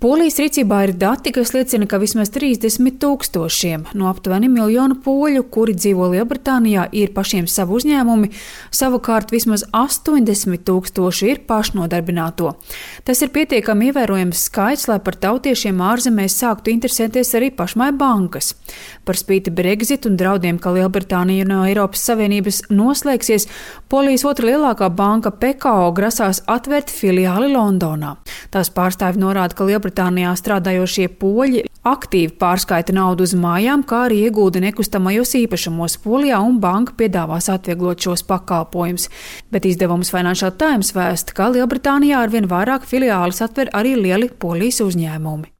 Polijas rīcībā ir dati, kas liecina, ka vismaz 30,000 no aptuveni 1 miljonu poļu, kuri dzīvo Lielbritānijā, ir pašiem savu uzņēmumi, savukārt vismaz 80,000 ir pašnodarbināto. Tas ir pietiekami ievērojams skaits, lai par tautiešiem ārzemēs sāktu interesēties arī pašmai bankas. Par spīti Brexit un draudiem, ka Lielbritānija no Eiropas Savienības noslēgsies, Polijas otra lielākā banka PKO grasās atvērt filiāli Londonā. Tās pārstāvji norāda, ka Lielbritānijā strādājošie poļi aktīvi pārskaita naudu uz mājām, kā arī iegūda nekustamajos īpašumos Polijā, un banka piedāvās atvieglot šos pakalpojumus. Bet izdevums Financial Times vēsta, ka Lielbritānijā arvien vairāk filiāles atver arī lieli Polijas uzņēmumi.